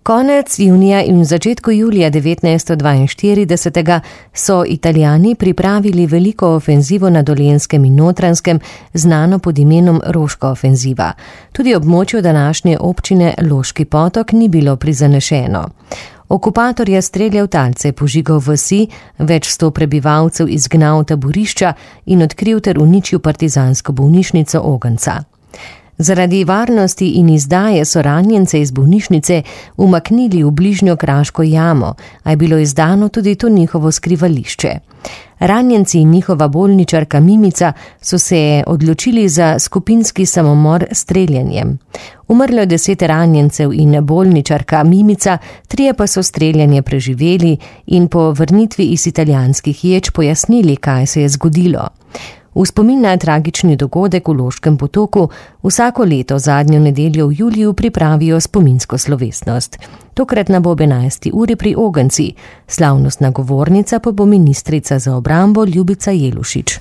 Konec junija in v začetku julija 1942 so Italijani pripravili veliko ofenzivo na Dolenjskem in Notranjskem, znano pod imenom Roška ofenziva. Tudi območju današnje občine Loški Potok ni bilo prizanešeno. Okupator je streljal talce, požigal vasi, več 100 prebivalcev izgnal taborišča in odkril ter uničil partizansko bolnišnico Ogenca. Zaradi varnosti in izdaje so ranjence iz bolnišnice umaknili v bližnjo kraško jamo, a je bilo izdano tudi to njihovo skrivališče. Ranjenci in njihova bolničarka Mimica so se odločili za skupinski samomor s streljanjem. Umrlo je 10 ranjencev in bolničarka Mimica, 3 pa so streljanje preživeli in po vrnitvi iz italijanskih ječ pojasnili, kaj se je zgodilo. V spomin na tragični dogodek v Loškem Potoku vsako leto zadnjo nedeljo v juliju pripravijo spominsko slovesnost. Tokrat bo ob 11. uri pri Ogenci, slavnostna govornica pa bo ministrica za obrambo Ljubica Jelušič.